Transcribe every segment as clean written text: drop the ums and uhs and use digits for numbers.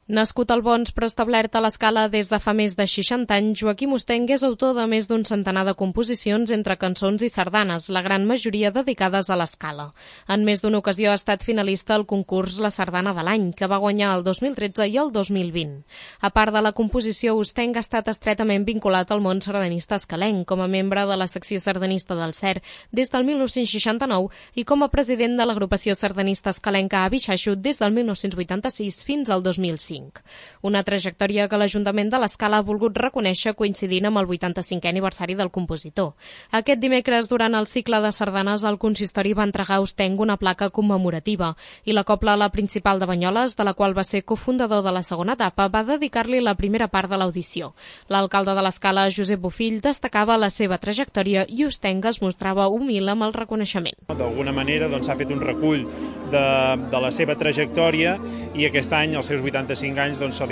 Nascut al Bons però establert a l'Escala des de fa més de 60 anys, Joaquim Ostenc és autor de més d'un centenar de composicions entre cançons i sardanes, la gran majoria dedicades a l'Escala. En més d'una ocasió ha estat finalista al concurs La Sardana de l'Any, que va guanyar el 2013 i el 2020. A part de la composició, Ostenc ha estat estretament vinculat al món sardanista escalenc, com a membre de la secció sardanista del CER des del 1969 i com a president de l'agrupació sardanista escalenca Avi Xaixut des del 1986 fins al 2005. Una trajectòria que l'Ajuntament de l'Escala ha volgut reconèixer coincidint amb el 85è aniversari del compositor. Aquest dimecres, durant el cicle de sardanes, el consistori va entregar a Ostenc una placa commemorativa i la cobla La Principal de Banyoles, de la qual va ser cofundador de la segona etapa, va dedicar-li la primera part de l'audició. L'alcalde de l'Escala, Josep Bofill, destacava la seva trajectòria i Ostenc es mostrava humil amb el reconeixement. D'alguna manera s'ha fet un recull de la seva trajectòria i aquest any, als seus 85 anys, se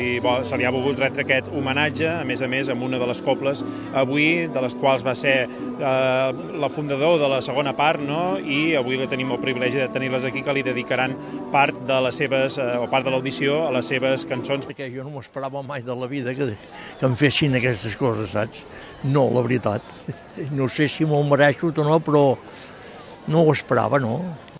li ha volgut retre aquest homenatge, a més, amb una de les cobles avui, de les quals va ser la fundador de la segona part, no? I avui tenim el privilegi de tenir-les aquí, que li dedicaran part de les seves, o part de l'audició a les seves cançons. Perquè jo no m'esperava mai de la vida que em fessin aquestes coses, saps? No, la veritat. No sé si m'ho mereixo o no, però no ho esperava, no?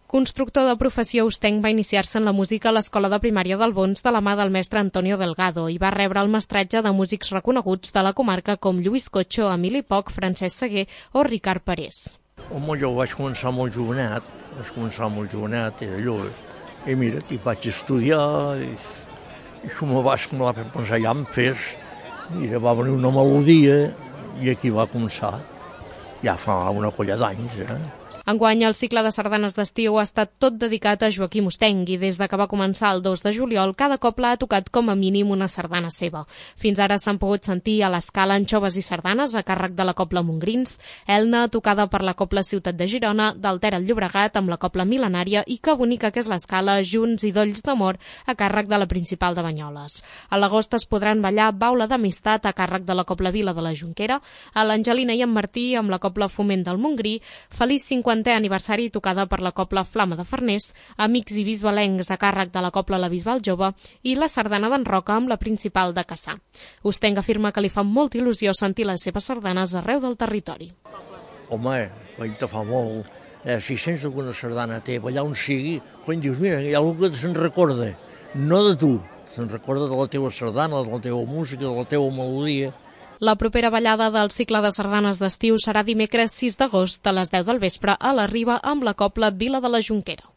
Constructor de professió, Ostenc va iniciar-se en la música a l'Escola de Primària del Bons de la mà del mestre Antonio Delgado i va rebre el mestratge de músics reconeguts de la comarca com Lluís Cotxo, Emili Poch, Francesc Seguer o Ricard Parés. Home, jo vaig començar molt jovenet, era allò. I mira, hi vaig estudiar, i això me va pensar, ja em fes, mira, va venir una melodia i aquí va començar, ja fa una colla d'anys, Enguany, el cicle de sardanes d'estiu ha estat tot dedicat a Joaquim Ostenc i des que va començar el 2 de juliol, cada cobla ha tocat com a mínim una sardana seva. Fins ara s'han pogut sentir a l'Escala Anxoves i sardanes a càrrec de la cobla Montgrins, Elna tocada per la cobla Ciutat de Girona, d'Alter al Llobregat amb la cobla Mil·lenària i Que bonica que és l'Escala, Junts i Dolls d'Amor a càrrec de la Principal de Banyoles. A l'agost es podran ballar Baula d'Amistat a càrrec de la cobla Vila de la Jonquera, a l'Angelina i en Martí amb la cobla Foment del Montgrí, Feliç 50è aniversari tocada per la cobla Flama de Farners, Amics i Bisbalencs a càrrec de la cobla La Bisbal Jove i la sardana d'en Roca amb la Principal de Cassà. Ostenc afirma que li fa molta il·lusió sentir les seves sardanes arreu del territori. Home, te fa molt. Si sents alguna sardana teva, allà on sigui, quan dius, mira, hi ha algú que se'n recorda, no de tu, se'n recorda de la teva sardana, de la teva música, de la teva melodia. La propera ballada del cicle de sardanes d'estiu serà dimecres 6 d'agost a les 10 del vespre a la Riba amb la cobla Vila de la Jonquera.